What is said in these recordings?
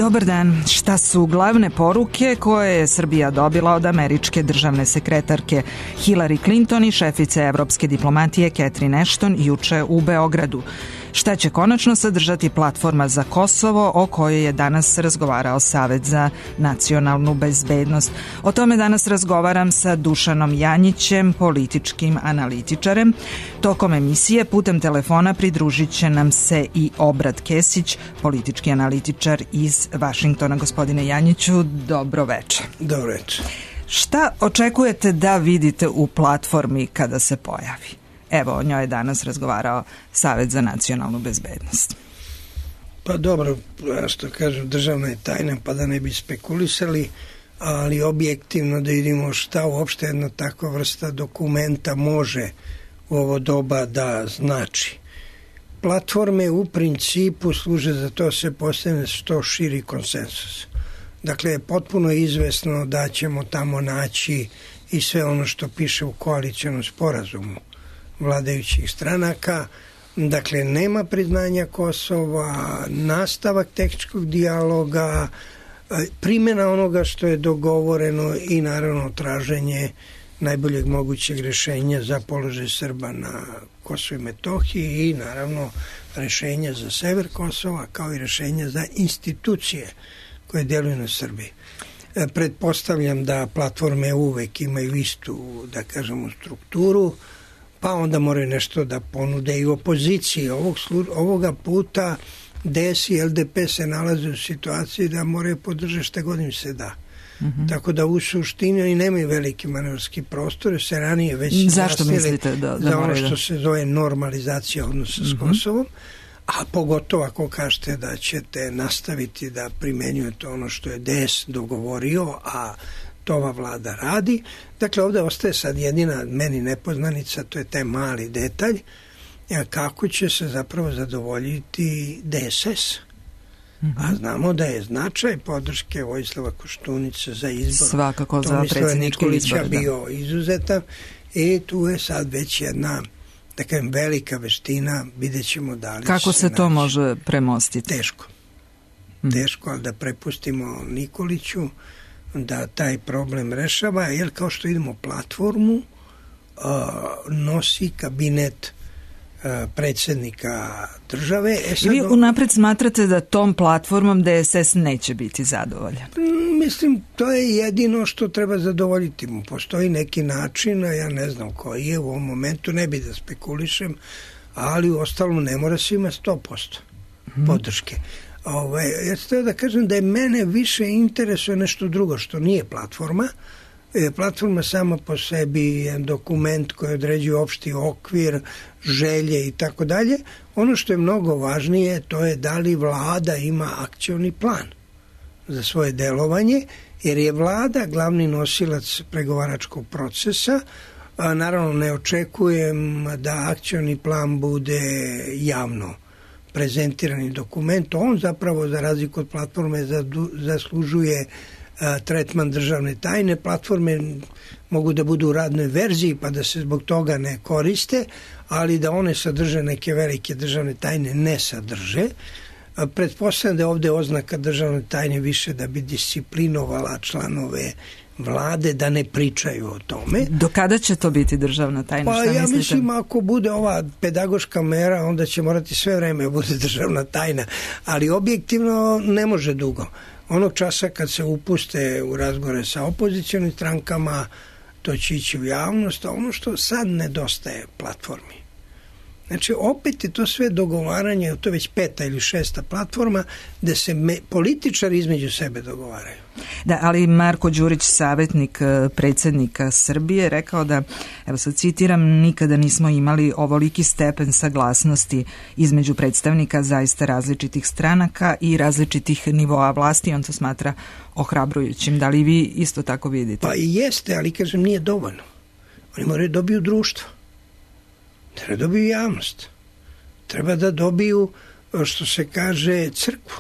Dobar dan. Šta su glavne poruke koje je Srbija dobila od američke državne sekretarke Hillary Clinton i šefice evropske diplomatije Catherine Ashton juče u Beogradu? Šta će konačno sadržati platforma za Kosovo o kojoj je danas razgovarao Savet za nacionalnu bezbednost? O tome danas razgovaram sa Dušanom Janjićem, političkim analitičarem. Tokom emisije putem telefona pridružit će nam se i Obrad Kesić, politički analitičar iz Vašingtona. Gospodine Janjiću, dobro večer. Dobro večer. Šta očekujete da vidite u platformi kada se pojavi? Evo, o njoj je danas razgovarao Savet za nacionalnu bezbednost. Pa dobro, što kažem, državna je tajna, pa da ne bi spekulisali, ali objektivno da vidimo šta uopšte jedna takva vrsta dokumenta može u ovo doba da znači. Platforme u principu služe za to se postigne što širi konsensus. Dakle, potpuno je izvesno da ćemo tamo naći i sve ono što piše u koalicionom sporazumu vladajućih stranaka. Dakle, nema priznanja Kosova, nastavak tehničkog dijaloga, primjena onoga što je dogovoreno i naravno traženje najboljeg mogućeg rješenja za položaj Srba na Kosovu i Metohiji i naravno rješenja za sever Kosova kao i rješenja za institucije koje djeluju na Srbiji. Pretpostavljam da platforme uvek imaju istu, da kažemo, strukturu, pa onda moraju nešto da ponude i opoziciji. Ovoga puta DS i LDP se nalaze u situaciji da moraju podržati šta god im se da. Tako da u suštini oni nemaju veliki manevarski prostor, se ranije već zašto mislite da za ono što se zove normalizacija odnosa s Kosovom, a pogotovo ako kažete da ćete nastaviti da primenjujete ono što je DS dogovorio, a to ova vlada radi. Dakle, ovdje ostaje sad jedina meni nepoznanica, to je taj mali detalj, kako će se zapravo zadovoljiti DSS. A znamo da je značaj podrške Vojislava Koštunice za izbor svakako za predsjednički izbor bio izuzetan i tu je sad već jedna takva velika veština, vidjet ćemo da li kako se to može premostiti. Teško, ali da prepustimo Nikoliću da taj problem rešava, jer kao što idemo platformu nosi kabinet predsjednika države. I vi unapred smatrate da tom platformom DSS neće biti zadovoljan? Mislim, to je jedino što treba zadovoljiti mu. Postoji neki način, a ja ne znam koji je u ovom momentu, ne bi da spekulišem, ali u ostalom ne mora se ima 100% podrške. Ja sam da kažem da je mene više interesuje nešto drugo što nije platforma. Platforma sama po sebi je dokument koji određuje opšti okvir, želje i tako dalje. Ono što je mnogo važnije to je da li vlada ima akcioni plan za svoje delovanje, jer je vlada glavni nosilac pregovaračkog procesa. Naravno ne očekujem da akcioni plan bude javno prezentirani dokument. On zapravo za razliku od platforme zaslužuje tretman državne tajne. Platforme mogu da budu u radnoj verziji pa da se zbog toga ne koriste, ali da one sadrže neke velike državne tajne ne sadrže. Pretpostavljam da je ovdje oznaka državne tajne više da bi disciplinovala članove vlade da ne pričaju o tome. Do kada će to biti državna tajna? Pa ja mislim ako bude ova pedagoška mera, onda će morati sve vreme bude državna tajna, ali objektivno ne može dugo. Onog časa kad se upuste u razgovore sa opozicionim strankama, to će ići u javnost, a ono što sad nedostaje platformi. Znači, opet je to sve dogovaranje, to je već 5. ili 6. platforma, gde se političari između sebe dogovaraju. Da, ali Marko Đurić, savjetnik predsjednika Srbije, rekao da, evo sad citiram, nikada nismo imali ovoliki stepen saglasnosti između predstavnika zaista različitih stranaka i različitih nivoa vlasti. On to smatra ohrabrujućim. Da li vi isto tako vidite? Pa i jeste, ali kažem nije dovoljno. Oni moraju dobiju društvo. Treba da dobiju javnost. Treba da dobiju, što se kaže, crkvu.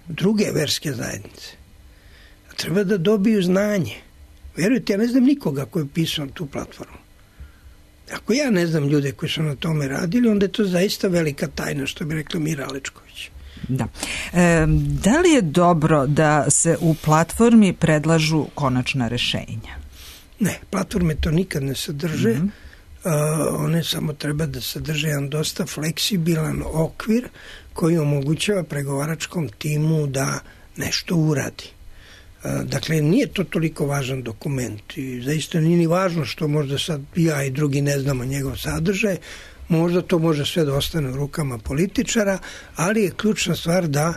Druge verske zajednice. Treba da dobiju znanje. Vjerujte, ja ne znam nikoga koji je pisao tu platformu. Ako ja ne znam ljude koji su na tome radili, onda je to zaista velika tajna, što bi rekla Mira Alečković. Da. Da li je dobro da se u platformi predlažu konačna rešenja? Ne, platforme to nikad ne sadrže. One samo treba da sadrže jedan dosta fleksibilan okvir koji omogućava pregovaračkom timu da nešto uradi. Dakle, nije to toliko važan dokument i zaista nije ni važno što možda sad ja i drugi ne znamo njegov sadržaj, možda to može sve da ostane u rukama političara, ali je ključna stvar da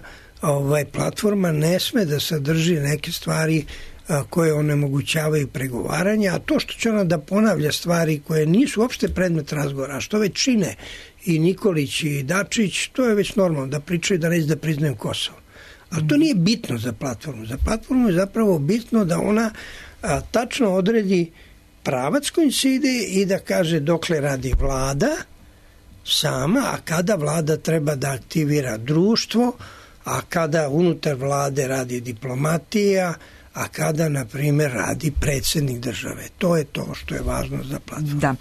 platforma ne sme da sadrži neke stvari koje onemogućavaju pregovaranje, a to što će ona da ponavlja stvari koje nisu uopšte predmet razgovora, a što već čine i Nikolić i Dačić, to je već normalno, da pričaju da neće da priznaju Kosovo. Ali to nije bitno za platformu. Za platformu je zapravo bitno da ona tačno odredi pravac kojim se ide i da kaže dokle radi vlada sama, a kada vlada treba da aktivira društvo, a kada unutar vlade radi diplomatija, a kada, na primjer, radi predsjednik države. To je to što je važno za platformu. Da.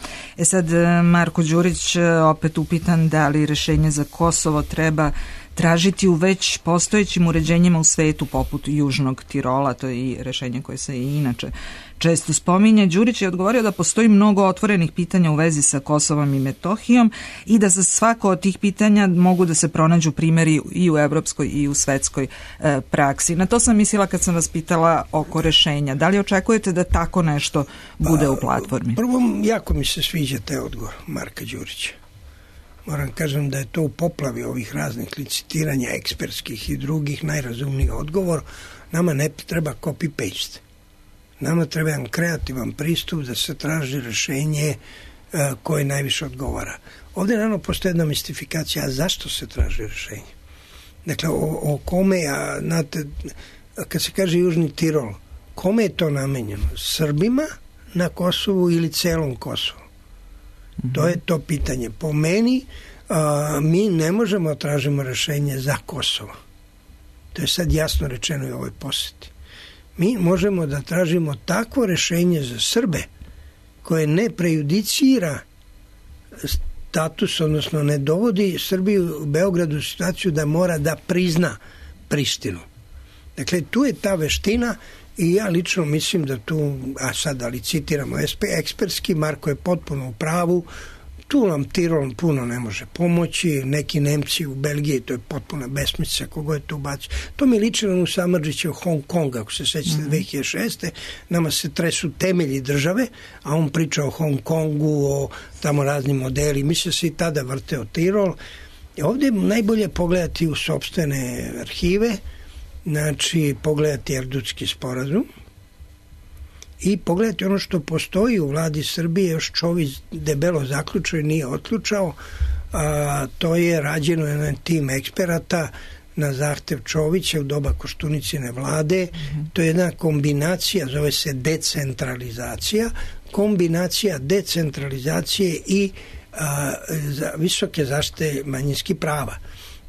Sad, Marko Đurić opet upitan da li rešenje za Kosovo treba tražiti u već postojećim uređenjima u svetu poput Južnog Tirola, to je i rešenje koje se i inače često spominje. Đurić je odgovorio da postoji mnogo otvorenih pitanja u vezi sa Kosovom i Metohijom i da za svako od tih pitanja mogu da se pronađu primjeri i u evropskoj i u svetskoj praksi. Na to sam mislila kad sam vas pitala oko rešenja. Da li očekujete da tako nešto bude u platformi? Prvo, jako mi se sviđa taj odgovor Marka Đurića. Moram kažem da je to u poplavi ovih raznih licitiranja ekspertskih i drugih najrazumniji odgovor. Nama ne treba copy-paste. Nama treba jedan kreativan pristup da se traži rešenje koje najviše odgovara. Ovdje naravno postoji jedna mistifikacija, a zašto se traži rešenje? Dakle, o kome, znate, kad se kaže Južni Tirol, kome je to namenjeno? Srbima na Kosovu ili celom Kosovu? To je to pitanje. Po meni, mi ne možemo tražimo rešenje za Kosovo. To je sad jasno rečeno i u ovoj poseti. Mi možemo da tražimo takvo rešenje za Srbe koje ne prejudicira status, odnosno ne dovodi Srbiju u Beogradu u situaciju da mora da prizna Prištinu. Dakle, tu je ta veština i ja lično mislim da tu, a sad ali citiramo ekspertski, Marko je potpuno u pravu, tu nam Tirol puno ne može pomoći, neki Nemci u Belgiji, to je potpuna besmislica kogo je to ubacio. To mi liči na Samardžića u Hong Konga, ako se sećate 2006. Nama se tresu temelji države, a on priča o Hong Kongu, o tamo raznim modeli. Mislim se i tada vrteo Tirol. I ovdje je najbolje pogledati u sopstvene arhive, znači pogledati Erdutski sporazum i pogledati ono što postoji u vladi Srbije, još Čović debelo zaključio i nije otključao, to je rađeno jedan tim eksperata na zahtev Čovića u doba Koštunicine vlade. To je jedna kombinacija, zove se decentralizacija, kombinacija decentralizacije i visoke zaštite manjinskih prava.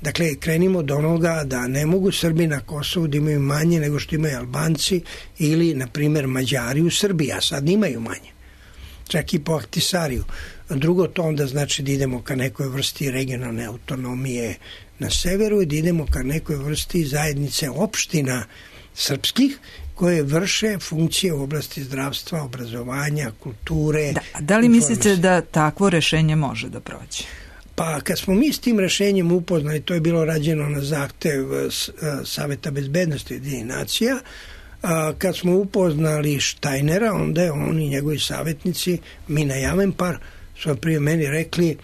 Dakle, krenimo od onoga da ne mogu Srbi na Kosovu da imaju manje nego što imaju Albanci ili, na primjer, Mađari u Srbiji, a sad imaju manje. Čak i po Ahtisariju. Drugo, to onda znači da idemo ka nekoj vrsti regionalne autonomije na severu i da idemo ka nekoj vrsti zajednice opština srpskih koje vrše funkcije u oblasti zdravstva, obrazovanja, kulture. Da li mislite da takvo rešenje može da prođe? Pa kad smo mi s tim rešenjem upoznali, to je bilo rađeno na zahtev Saveta bezbednosti Ujedinjenih nacija, kad smo upoznali Štajnera, onda je on i njegovi savjetnici, Mina Javenpar, su prije meni rekli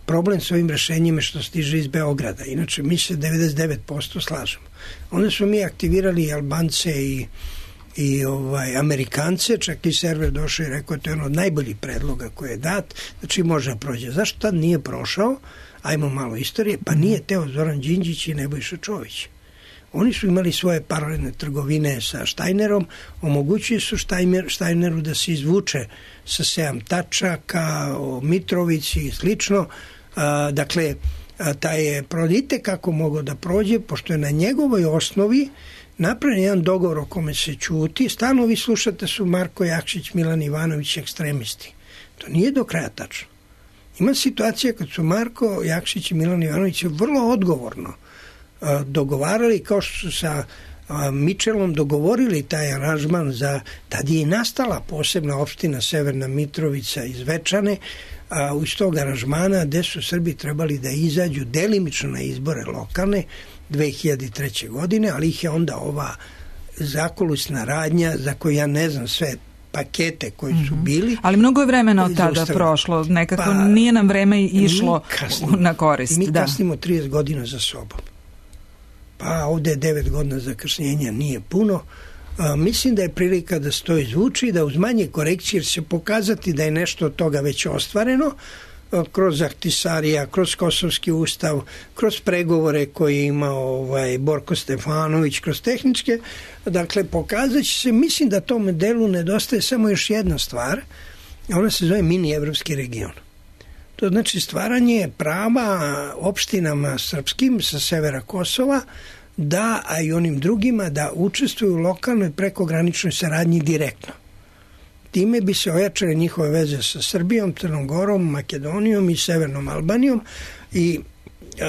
problem s ovim rešenjima što stiže iz Beograda. Inače, mi se 99% slažemo. Onda smo mi aktivirali Albance i Amerikance, čak i server došao i rekao to je ono od najboljih predloga koji je dat, znači može da prođe. Zašto tad nije prošao? Ajmo malo istorije, pa nije teo Zoran Đinđić i Nebojša Čović. Oni su imali svoje paralelne trgovine sa Štajnerom, omogućili su Štajneru da se izvuče sa 7 tačaka, o Mitrovici i slično. Dakle, taj je prodite kako mogao da prođe, pošto je na njegovoj osnovi napravljen jedan dogovor o kome se ćuti. Stalno vi slušate su Marko Jakšić, Milan Ivanović ekstremisti. To nije do kraja tačno. Ima situacija kad su Marko Jakšić i Milan Ivanović vrlo odgovorno dogovarali, kao što su sa Mičelom dogovorili taj aranžman tad je i nastala posebna opština Severna Mitrovica iz Zvečane, iz tog aranžmana gde su Srbi trebali da izađu delimično na izbore lokalne 2003. godine, ali ih je onda ova zakulisna radnja, za koju ja ne znam sve pakete koji su bili. Ali mnogo je vremena od tada prošlo, nekako nije nam vreme išlo na korist. Mi kasnimo 30 godina za sobom. Pa ovde je 9 godina zakašnjenja, nije puno. Mislim da je prilika da se to izvuči, da uz manje korekcije će se pokazati da je nešto od toga već ostvareno, kroz Ahtisarija, kroz Kosovski ustav, kroz pregovore koje je imao Borko Stefanović, kroz tehničke. Dakle, pokazat će se, mislim da tom delu nedostaje samo još jedna stvar, ona se zove mini evropski region. To znači stvaranje prava opštinama srpskim sa severa Kosova, a i onim drugima da učestvuju u lokalnoj prekograničnoj saradnji direktno. Time bi se ojačale njihove veze sa Srbijom, Crnom Gorom, Makedonijom i Severnom Albanijom i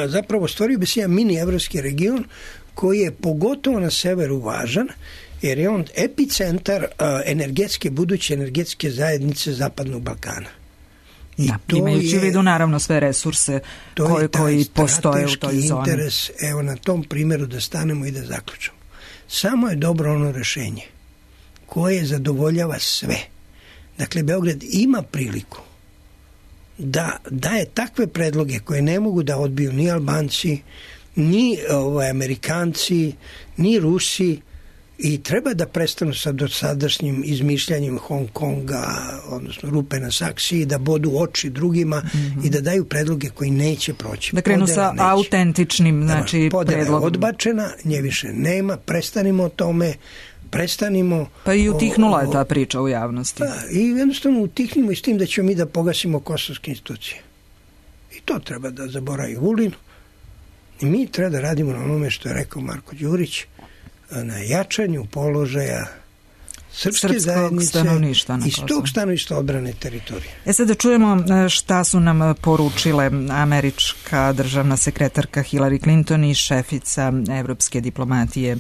zapravo stvorio bi se jedan mini evropski region koji je pogotovo na severu važan, jer je on epicentar buduće energetske zajednice Zapadnog Balkana. Imajući u vidu naravno sve resurse koji postoje u toj zoni. To je interes, evo na tom primjeru da stanemo i da zaključamo. Samo je dobro ono rešenje koje zadovoljava sve. Dakle, Beograd ima priliku da daje takve predloge koje ne mogu da odbiju ni Albanci, ni Amerikanci, ni Rusi, i treba da prestanu sa dosadašnjim izmišljanjem Hong Konga, odnosno rupe na saksiji, da bodu oči drugima i da daju predloge koji neće proći. Da krenu sa autentičnim predlogom. Podela odbačena, nje više nema, prestanimo o tome, Pa i utihnula je ta priča u javnosti. I jednostavno utihnimo i s tim da ćemo mi da pogasimo kosovske institucije. I to treba da zaboravi Vulin. I mi treba da radimo na onome što je rekao Marko Đurić, na jačanju položaja srpske zajednice i s tog stanovišta odbrane teritorije. Sad da čujemo šta su nam poručile američka državna sekretarka Hillary Clinton i šefica evropske diplomatije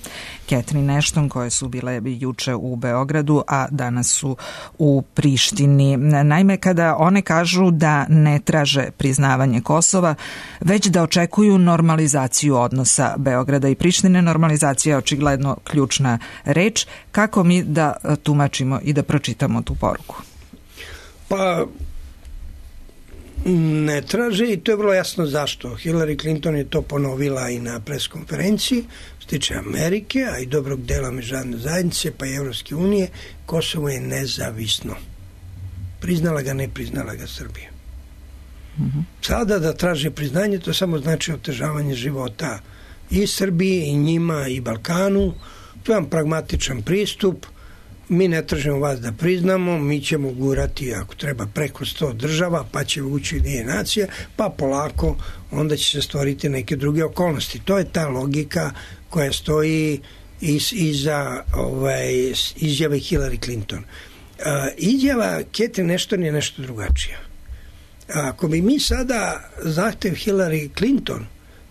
Catherine Ashton, koje su bile juče u Beogradu, a danas su u Prištini. Naime, kada one kažu da ne traže priznavanje Kosova, već da očekuju normalizaciju odnosa Beograda i Prištine, normalizacija je očigledno ključna reč. Kako mi da tumačimo i da pročitamo tu poruku? Pa ne traže i to je vrlo jasno zašto. Hillary Clinton je to ponovila i na preskonferenciji što tiče Amerike, a i dobrog dela međunarodne zajednice pa i Evropske unije. Kosovo je nezavisno. Priznala ga, ne priznala ga Srbija. Sada da traže priznanje, to samo znači otežavanje života i Srbiji, i njima, i Balkanu. To je jedan pragmatičan pristup. Mi ne tražimo vas da priznamo, mi ćemo gurati ako treba preko 100 država, pa će ući nacija, pa polako onda će se stvoriti neke druge okolnosti. To je ta logika koja stoji iza izjave Hillary Clinton. Izjava Catherine Ashton je nešto drugačija. Ako bi mi sada zahtev Hillary Clinton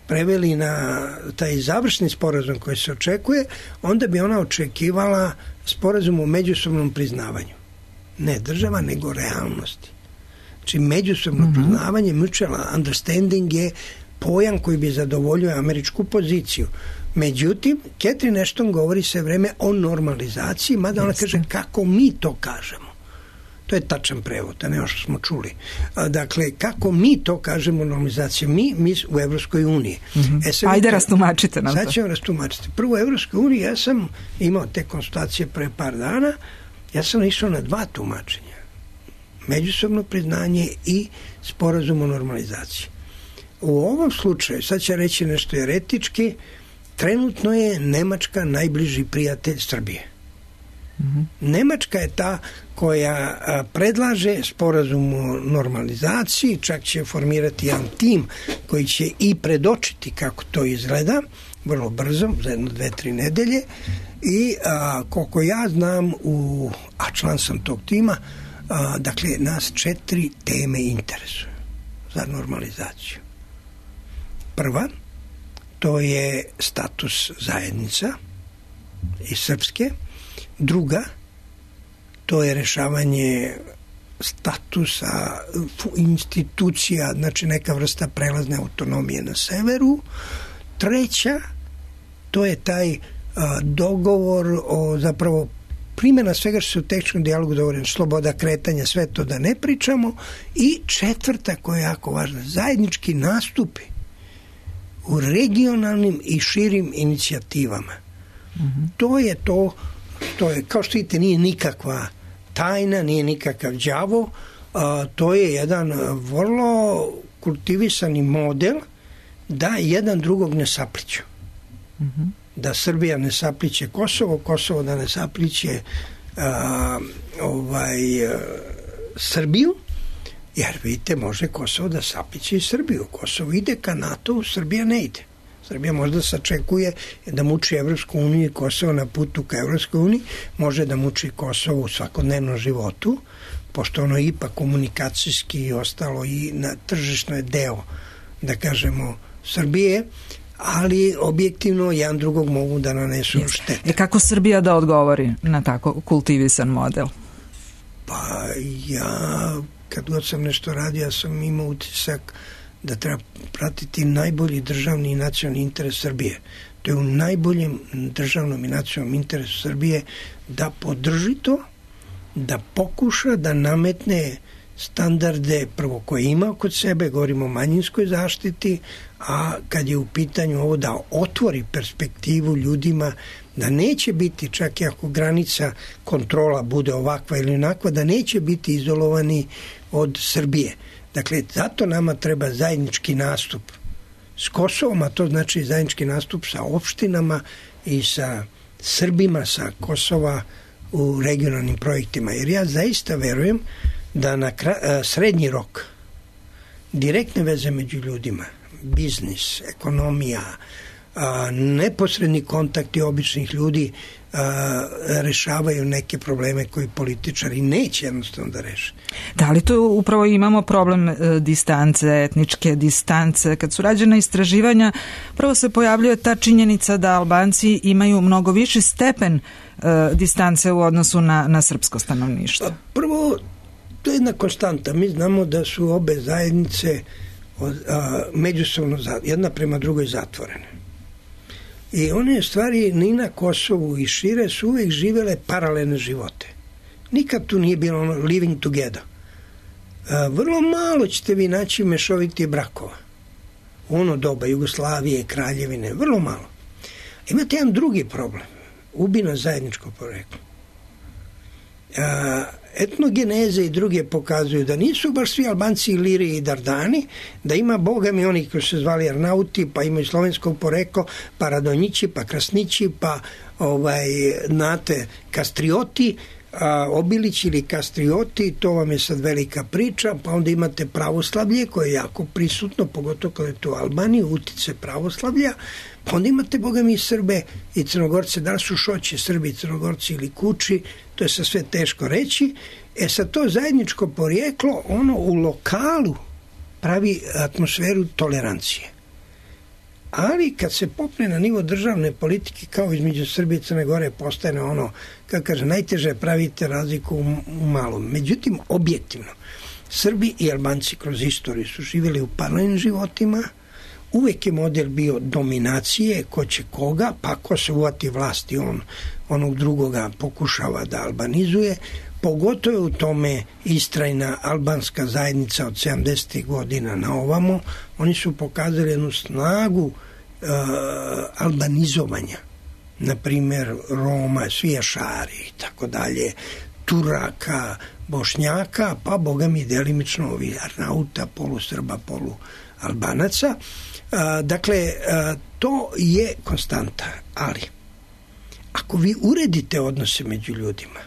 preveli na taj završni sporazum koji se očekuje, onda bi ona očekivala sporazum o međusobnom priznavanju. Ne država, nego realnosti. Znači, međusobno priznavanje, mutual understanding je pojam koji bi zadovoljio američku poziciju. Međutim, Catherine Ashton govori sve vreme o normalizaciji, mada ona kaže kako mi to kažemo. To je tačan prevod, a ne ono što smo čuli. Dakle, kako mi to kažemo normalizaciju? Mi u Evropskoj uniji. Ajde, rastumačite nam to. Sad ćemo rastumačiti. Prvo, u Evropskoj uniji ja sam imao te konstatacije pre par dana, ja sam išao na 2 tumačenja. Međusobno priznanje i sporazum o normalizaciji. U ovom slučaju, sad će reći nešto eretički, trenutno je Nemačka najbliži prijatelj Srbije. Nemačka je ta koja predlaže sporazum o normalizaciji, čak će formirati jedan tim koji će i predočiti kako to izgleda, vrlo brzo, za 1-2-3 nedelje, i koliko ja znam, a član sam tog tima, dakle, nas 4 teme interesuju za normalizaciju. Prva, to je status zajednica i srpske. Druga, to je rešavanje statusa institucija, znači neka vrsta prelazne autonomije na severu. Treća, to je taj dogovor o zapravo primjena svega što se u tehničkom dijalogu dogovoreno, sloboda kretanja, sve to da ne pričamo. I četvrta, koja je jako važna, zajednički nastupi u regionalnim i širim inicijativama. To je to što je, kao što vidite, nije nikakva tajna, nije nikakav đavo, to je jedan vrlo kultivisani model da jedan drugog ne sapliću. Da Srbija ne sapliće Kosovo, Kosovo da ne sapliće Srbiju, jer vidite, može Kosovo da sapliće i Srbiju. Kosovo ide ka NATO, Srbija ne ide. Srbija možda sačekuje da muči Evropsku uniju i Kosovo na putu ka Evropskoj uniji, može da muči Kosovo u svakodnevnom životu, pošto ono ipak komunikacijski i ostalo i na tržišnoj deo, da kažemo, Srbije, ali objektivno jedan drugog mogu da nanesu štete. Kako Srbija da odgovori na tako kultivisan model? Pa ja, kad god sam nešto radio, ja sam imao utisak da treba pratiti najbolji državni i nacionalni interes Srbije. To je u najboljem državnom i nacionalnom interesu Srbije da podrži to, da pokuša da nametne standarde prvo koje ima kod sebe, govorimo o manjinskoj zaštiti, a kad je u pitanju ovo da otvori perspektivu ljudima da neće biti, čak i ako granica kontrola bude ovakva ili onakva, da neće biti izolovani od Srbije. Dakle, zato nama treba zajednički nastup s Kosovom, a to znači zajednički nastup sa opštinama i sa Srbima sa Kosova u regionalnim projektima. Jer ja zaista verujem da na srednji rok direktne veze među ljudima, biznis, ekonomija, neposredni kontakti običnih ljudi rešavaju neke probleme koji političari neće jednostavno da reše. Da li to upravo imamo problem distance, etničke distance? Kad su rađena istraživanja, prvo se pojavljuje ta činjenica da Albanci imaju mnogo viši stepen distance u odnosu na srpsko stanovništvo. Prvo, to je jedna konstanta. Mi znamo da su obe zajednice međusobno jedna prema drugoj zatvorene. I one stvari ni na Kosovu i šire su uvijek živele paralelne živote. Nikad tu nije bilo living together. Vrlo malo ćete vi naći mešovitih brakova. U ono doba Jugoslavije, Kraljevine, vrlo malo. Imate jedan drugi problem. Ubina zajedničko poreklo. Etnogeneze i druge pokazuju da nisu baš svi Albanci Iliri i Dardani, da ima bogami oni koji se zvali Arnauti, pa imaju slovenskog poreklo, pa Radonjići, pa Krasnići, pa znate, Kastrioti, Obilići ili Kastrioti, to vam je sad velika priča, pa onda imate pravoslavlje koje je jako prisutno, pogotovo kada je to u Albaniji, utice pravoslavlja, pa onda imate bogami i Srbe i Crnogorce, da li su Šoći, Srbi, Crnogorci ili Kuči, to je sve teško reći. Sad to zajedničko porijeklo, ono u lokalu pravi atmosferu tolerancije. Ali kad se popne na nivo državne politike, kao između Srbije i Crne Gore, postane ono, kako kaže, najteže pravite razliku u malom. Međutim, objektivno, Srbi i Albanci kroz istoriju su živjeli u paralelnim životima, uvek je model bio dominacije, ko će koga, pa ko se uvati vlasti, on onog drugoga pokušava da albanizuje, pogotovo u tome istrajna albanska zajednica od 70. godina na ovamo, oni su pokazali jednu snagu albanizovanja, na primjer Roma, Svijašari i tako dalje, Turaka, Bošnjaka, pa boga mi delimično ovi Arnauta, polusrba, polualbanaca. Dakle, to je konstanta, ali ako vi uredite odnose među ljudima,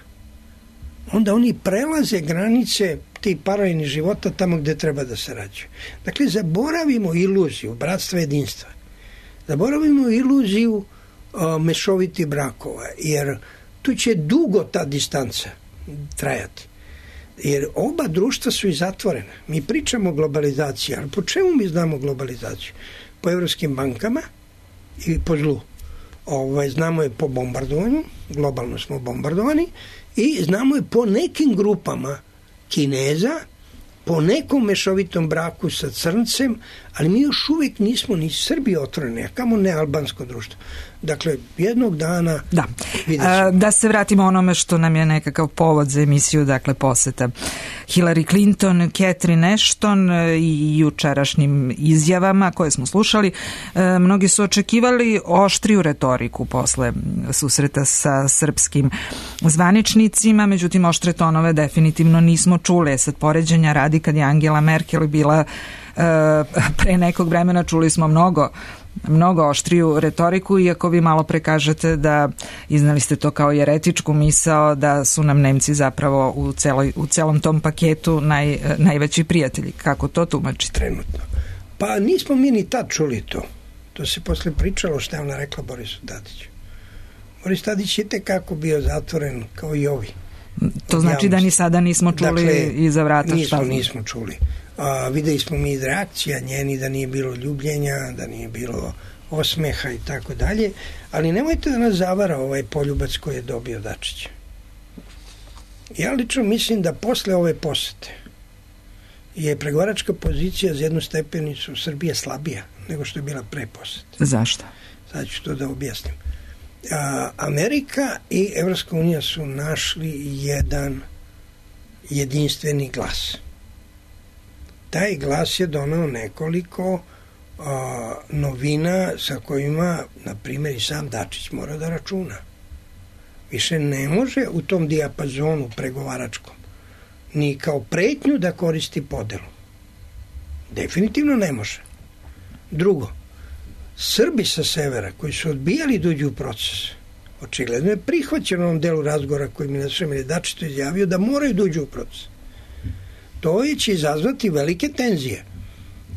onda oni prelaze granice tih paralelnih života tamo gde treba da se rađaju. Dakle, zaboravimo iluziju bratstva jedinstva. Zaboravimo iluziju mešovitih brakova, jer tu će dugo ta distanca trajati. Jer oba društva su i zatvorena. Mi pričamo o globalizaciji, ali po čemu mi znamo globalizaciju? Po evropskim bankama, i po zlu. Znamo je po bombardovanju, globalno smo bombardovani, i znamo je po nekim grupama Kineza, po nekom mešovitom braku sa crncem, ali mi još uvijek nismo ni Srbi otvoreni, a kamo ne albansko društvo. Dakle, jednog dana... Da se vratimo onome što nam je nekakav povod za emisiju, dakle poseta Hillary Clinton, Catherine Ashton i jučerašnjim izjavama koje smo slušali. Mnogi su očekivali oštriju retoriku posle susreta sa srpskim zvaničnicima, međutim oštre tonove definitivno nismo čuli. Sad poređenja radi, kad je Angela Merkel bila pre nekog vremena, čuli smo mnogo oštriju retoriku, iako vi malo pre kažete da iznali ste to kao jeretičku misao da su nam Nemci zapravo u celom tom paketu najveći prijatelji. Kako to tumačite? Trenutno. Pa nismo mi ni tad čuli to. To se posle pričalo što je ona rekla Borisu Tadiću. Boris Tadić je tekako bio zatvoren kao i ovi. To znači da ni sada nismo čuli iza vrata šta? Nismo čuli. Videli smo mi reakcija njeni da nije bilo ljubljenja, da nije bilo osmeha i tako dalje, ali nemojte da nas zavara ovaj poljubac koji je dobio Dačić. Ja lično mislim da posle ove posete je pregovaračka pozicija za jednu stepenicu Srbije slabija nego što je bila pre posete. Zašto? Sad ću to da objasnim. Amerika i Evropska unija su našli jedan jedinstveni glas. Taj glas je doneo nekoliko novina sa kojima, na primjer, i sam Dačić mora da računa. Više ne može u tom dijapazonu pregovaračkom ni kao pretnju da koristi podelu. Definitivno ne može. Drugo, Srbi sa severa koji su odbijali da uđu u proces, očigledno je prihvaćeno u ovom delu razgovora koji mi je Dačić to izjavio da moraju da uđu u proces. To će izazvati velike tenzije,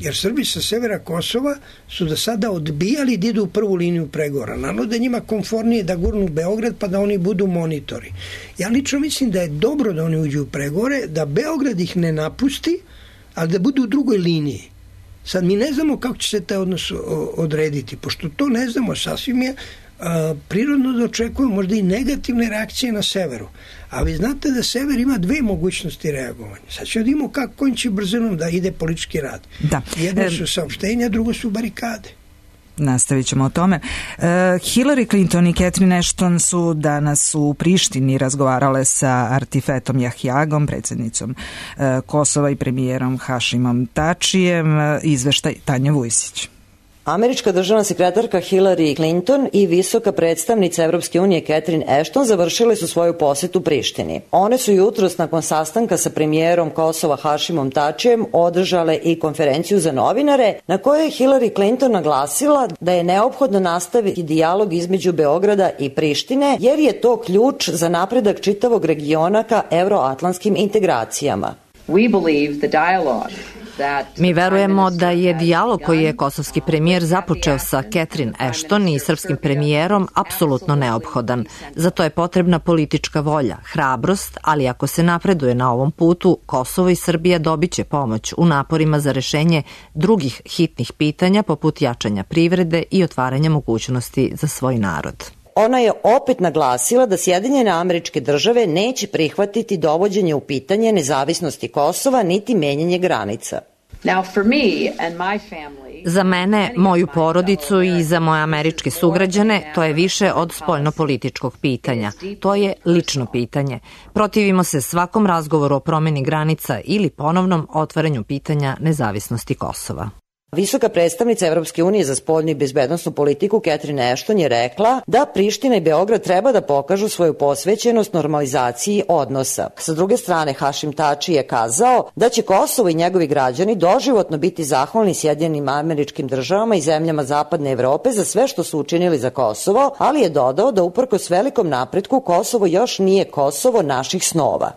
jer Srbi sa severa Kosova su do sada odbijali da idu u prvu liniju pregovora. Naravno da je njima komfornije da gurnu Beograd pa da oni budu monitori. Ja lično mislim da je dobro da oni uđu u pregovore, da Beograd ih ne napusti, ali da budu u drugoj liniji. Sad mi ne znamo kako će se taj odnos odrediti, pošto to ne znamo, sasvim je prirodno da očekujemo možda i negativne reakcije na severu. A vi znate da sever ima dve mogućnosti reagovanja. Sad ćemo da imamo kojim će brzinom da ide politički rad. Da. Jedno su saopštenja, drugo su barikade. Nastavit ćemo o tome. Hillary Clinton i Catherine Ashton su danas u Prištini razgovarale sa Artifetom Jahjagom, predsjednicom Kosova, i premijerom Hašimom Tačijem. Izveštaj Tanja Vujsić. Američka državna sekretarka Hillary Clinton i visoka predstavnica Evropske unije Catherine Ashton završile su svoju posetu Prištini. One su jutros nakon sastanka sa premijerom Kosova Hašimom Tačijem održale i konferenciju za novinare na kojoj je Hillary Clinton naglasila da je neophodno nastaviti dijalog između Beograda i Prištine jer je to ključ za napredak čitavog regiona ka euroatlantskim integracijama. Mi verujemo da je dijalog koji je kosovski premijer započeo sa Catherine Ashton i srpskim premijerom apsolutno neophodan. Za to je potrebna politička volja, hrabrost, ali ako se napreduje na ovom putu, Kosovo i Srbija dobiće pomoć u naporima za rešenje drugih hitnih pitanja poput jačanja privrede i otvaranja mogućnosti za svoj narod. Ona je opet naglasila da Sjedinjene Američke Države neće prihvatiti dovođenje u pitanje nezavisnosti Kosova niti menjanje granica. Za mene, moju porodicu i za moje američke sugrađane to je više od spoljnopolitičkog pitanja. To je lično pitanje. Protivimo se svakom razgovoru o promeni granica ili ponovnom otvaranju pitanja nezavisnosti Kosova. Visoka predstavnica Evropske unije za spoljnu i bezbednosnu politiku Catherine Ashton je rekla da Priština i Beograd treba da pokažu svoju posvećenost normalizaciji odnosa. Sa druge strane, Hašim Tači je kazao da će Kosovo i njegovi građani doživotno biti zahvalni Sjedinjenim Američkim Državama i zemljama Zapadne Evrope za sve što su učinili za Kosovo, ali je dodao da uprkos velikom napretku Kosovo još nije Kosovo naših snova.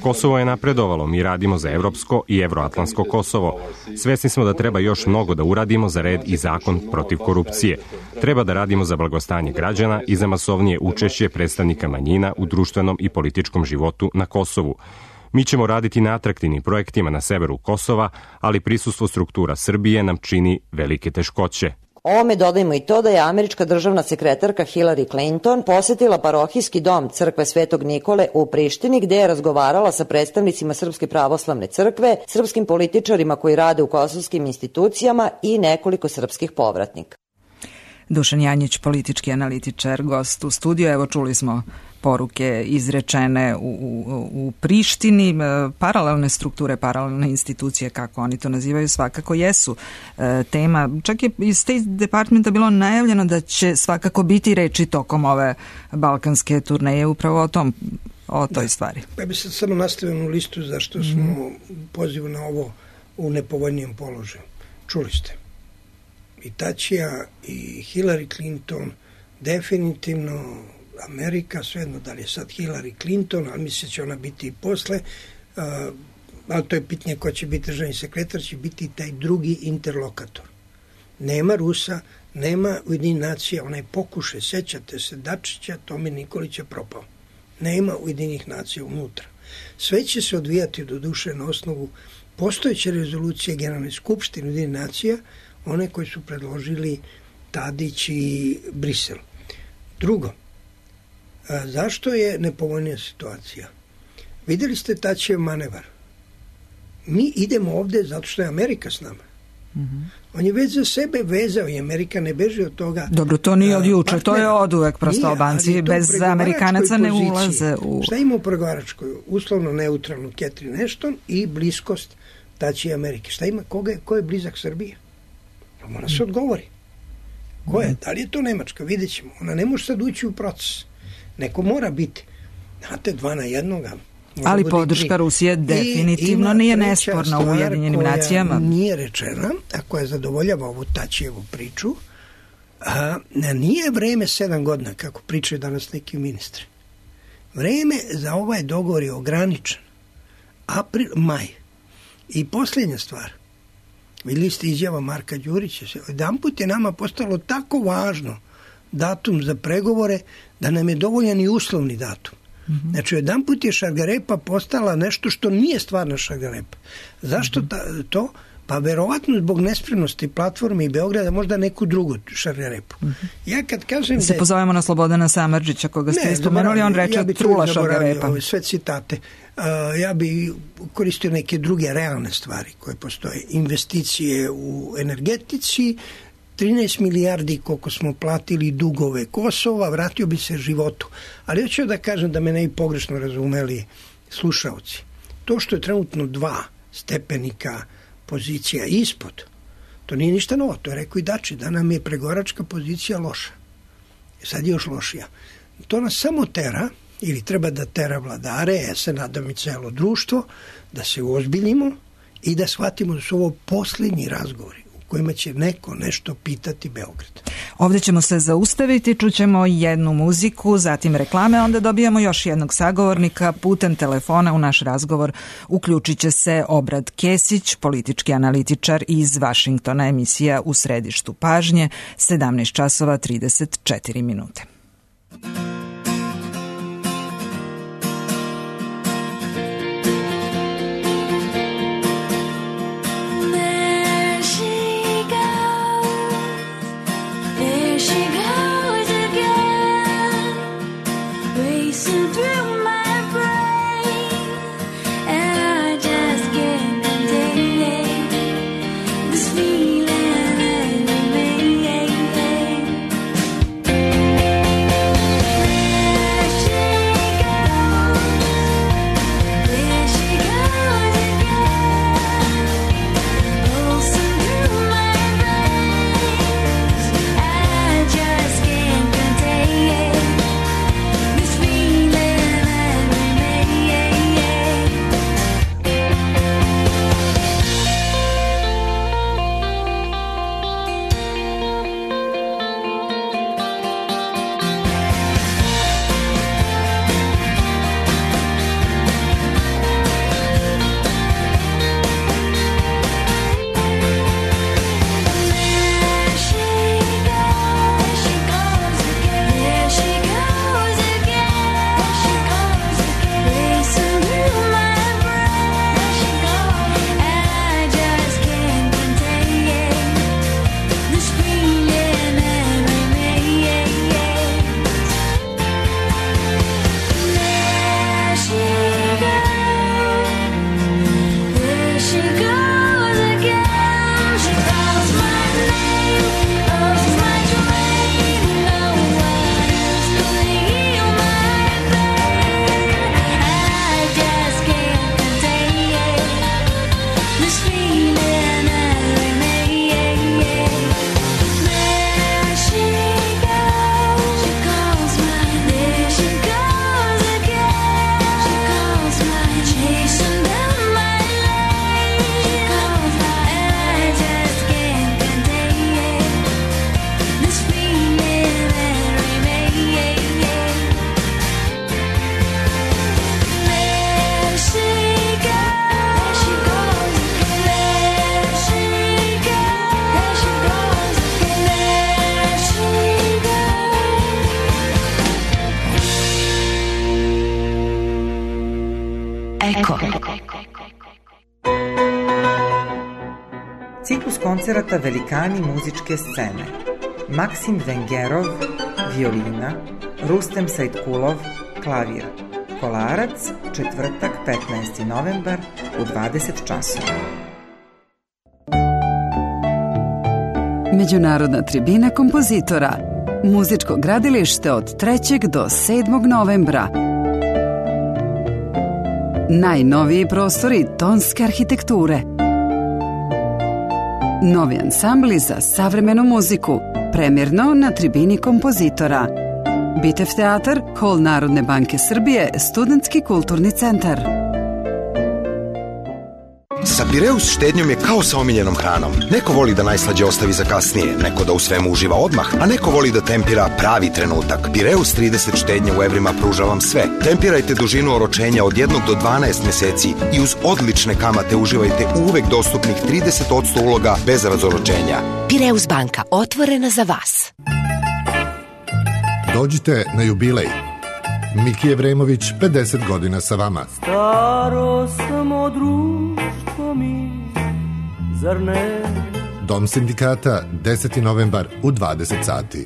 Kosovo je napredovalo, mi radimo za evropsko i evroatlantsko Kosovo. Svesni smo da treba još mnogo da uradimo za red i zakon protiv korupcije. Treba da radimo za blagostanje građana i za masovnije učešće predstavnika manjina u društvenom i političkom životu na Kosovu. Mi ćemo raditi na atraktivnim projektima na severu Kosova, ali prisustvo struktura Srbije nam čini velike teškoće. Ovome dodajmo i to da je američka državna sekretarka Hillary Clinton posetila parohijski dom crkve Svetog Nikole u Prištini, gde je razgovarala sa predstavnicima Srpske pravoslavne crkve, srpskim političarima koji rade u kosovskim institucijama i nekoliko srpskih povratnika. Dušan Janjić, politički analitičar, gost u studiju. Evo, čuli smo poruke izrečene u Prištini. Paralelne strukture, paralelne institucije, kako oni to nazivaju, svakako jesu tema. Čak je iz State Departmenta bilo najavljeno da će svakako biti reči tokom ove balkanske turneje upravo o toj stvari. Ja bih sad samo nastavio listu zašto smo pozivu na ovo u nepovoljnijem položaju. Čuli ste. I Tačija i Hillary Clinton, definitivno Amerika, svejedno da li je sad Hillary Clinton, ali misle će ona biti i posle, ali to je pitanje ko će biti državni sekretar, će biti taj drugi interlokator. Nema Rusa, nema Ujedinjenih nacija, onaj pokušaj, sećate se Dačića, Tome Nikolića propao. Nema Ujedinjenih nacija unutra. Sve će se odvijati do duše na osnovu postojeće rezolucije Generalne skupštine Ujedinjenih nacija, one koji su predložili Tadić i Brisel. Drugo, zašto je nepovoljnija situacija? Videli ste Tačijev manevar. Mi idemo ovde zato što je Amerika s nama. On je već za sebe vezao i Amerika ne beži od toga. Dobro, to nije od juče, to je od uvek, prosto Albanci bez Amerikanaca ne ulaze u... Šta ima u pregovaračkoj? Uslovno neutralnu Catherine Ashton i bliskost Tačije Amerike. Šta ima? Ko je blizak Srbije? Mora se odgovori. Ko je? Da li je to Nemačka? Vidjet ćemo. Ona ne može sad ući u proces. Neko mora biti. Znate, 2 na 1. Ali podrška Rusije definitivno nije nesporna u Ujedinjenim nacijama. Nije rečena, a koja zadovoljava ovu Tačijevu priču, nije vreme 7 godina, kako pričaju danas neki ministri. Vreme za ovaj dogovor je ograničen. April, maj. I posljednja stvar. Vidjeli ste izjava Marka Đurića. Jedan put je nama postalo tako važno datum za pregovore da nam je dovoljan i uslovni datum. Znači, jedan put je šargarepa postala nešto što nije stvarna šargarepa. Zašto to? Pa verovatno zbog nespremnosti platforme i Beograda možda neku drugu šargarepu. Ja kad kažem se pozovemo na Slobodana Samardžića, koga ste spomenuli, on reče trula šargarepa. Sve citate. Ja bi koristio neke druge realne stvari koje postoje. Investicije u energetici, 13 milijardi koliko smo platili dugove Kosova, vratio bi se životu. Ali hoću da kažem da me ne i pogrešno razumeli slušaoci. To što je trenutno 2 stepenika pozicija ispod, to nije ništa novo. To je rekao i Dači, da nam je pregovaračka pozicija loša. Sad je još lošija. To nas samo tera, ili treba da tera vladare, ja se nadam i celo društvo, da se uozbiljimo i da shvatimo da su ovo posljednji razgovori u kojima će neko nešto pitati Beograd. Ovde ćemo se zaustaviti, čućemo jednu muziku, zatim reklame, onda dobijamo još jednog sagovornika putem telefona u naš razgovor. Uključit će se Obrad Kesić, politički analitičar iz Vašingtona, emisija U središtu pažnje, 17 časova 34 minute. Ciklus koncerata Velikani muzičke scene. Maksim Vengerov, violina, Rustem Sajtkulov, klavir. Kolarac, četvrtak, 15. novembar u 20 časova. Međunarodna tribina kompozitora. Muzičko gradilište od 3. do 7. novembra. Najnoviji prostori tonske arhitekture. Novi ansambli za savremenu muziku. Premjerno na tribini kompozitora. Bitev teatar, Hol Narodne banke Srbije, Studentski kulturni centar. Sa Pireus štednjom je kao sa omiljenom hranom. Neko voli da najslađe ostavi za kasnije, neko da u svemu uživa odmah, a neko voli da tempira pravi trenutak. Pireus 30 štednje u evrima pruža vam sve. Tempirajte dužinu oročenja od 1 do 12 meseci i uz odlične kamate uživajte u uvek dostupnih 30% uloga bez razoročenja. Pireus banka, otvorena za vas. Dođite na jubilej. Miki Evremović, 50 godina sa vama. Staro samo društvo mi, zar ne? Dom sindikata, 10. novembar u 20 sati.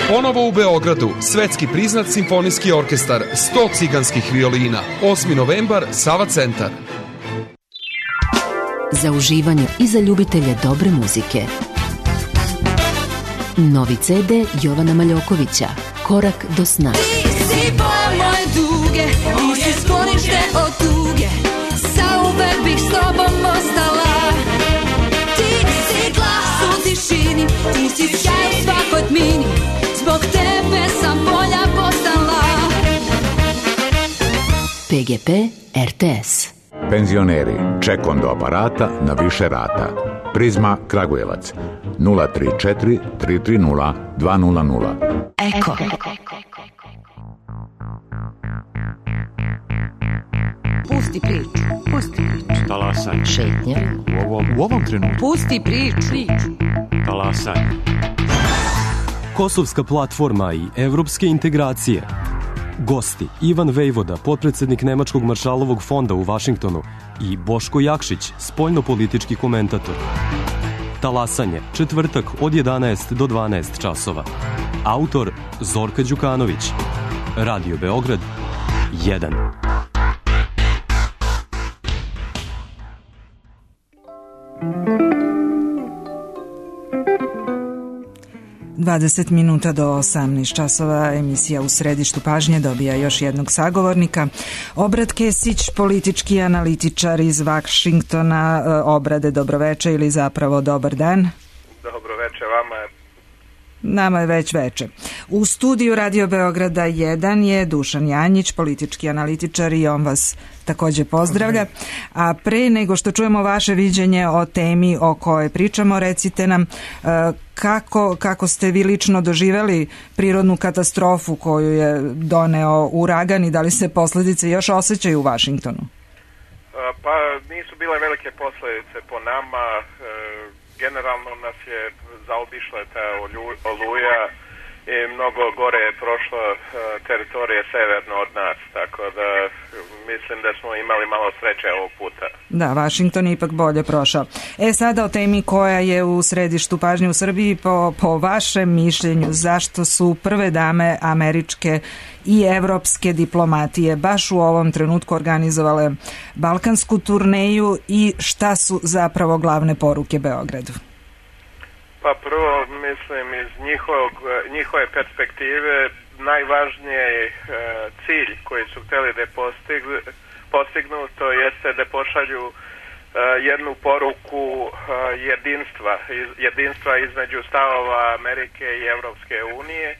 Ponovo u Beogradu, svetski priznat simfonijski orkestar, 100 ciganskih violina, 8. novembar, Sava centar. Za uživanje i za ljubitelje dobre muzike. Novi CD Jovana Maljokovića, Korak do sna. Ti si boja moje duge, ti si sklonište od tuge, zauvek bih s tobom ostala. Ti si glas u tišini, ti si sjaj u svakoj tmini, zbog tebe sam bolja postala. PGP RTS. Penzioneri, ček do aparata na više rata. Prizma Kragujevac 034 330 200. Eko. Pusti priču, pusti priču. Talasanje. Šetnja. U ovom trenutku. Pusti priču. Talasanje. Kosovska platforma i evropske integracije. Gosti Ivan Vejvoda, potpredsednik Nemačkog maršalovog fonda u Vašingtonu, i Boško Jakšić, spoljnopolitički komentator. Talasanje, četvrtak od 11 do 12 časova. Autor Zorka Đukanović. Radio Beograd 1. 20 minuta do 18 časova, emisija U središtu pažnje dobija još jednog sagovornika. Obrad Kesić, politički analitičar iz Vašingtona. Obrade, dobroveče ili zapravo dobar dan. Dobroveče vama. Nama je već veče. U studiju Radio Beograda 1 je Dušan Janjić, politički analitičar, i on vas takođe pozdravlja. A pre nego što čujemo vaše viđenje o temi o kojoj pričamo, recite nam kako ste vi lično doživeli prirodnu katastrofu koju je doneo uragan i da li se posledice još osjećaju u Vašingtonu? Pa nisu bile velike posledice po nama. Generalno nas je zaobišla ta oluja i mnogo gore je prošlo teritorije severno od nas, tako da mislim da smo imali malo sreće ovog puta. Da, Vašington je ipak bolje prošao. Sada o temi koja je u središtu pažnje u Srbiji, po vašem mišljenju, zašto su prve dame američke i evropske diplomatije baš u ovom trenutku organizovale balkansku turneju i šta su zapravo glavne poruke Beogradu? Pa prvo, mislim, iz njihove perspektive najvažniji cilj koji su hteli da postignu, to jeste da pošalju jednu poruku jedinstva između stavova Amerike i Evropske unije.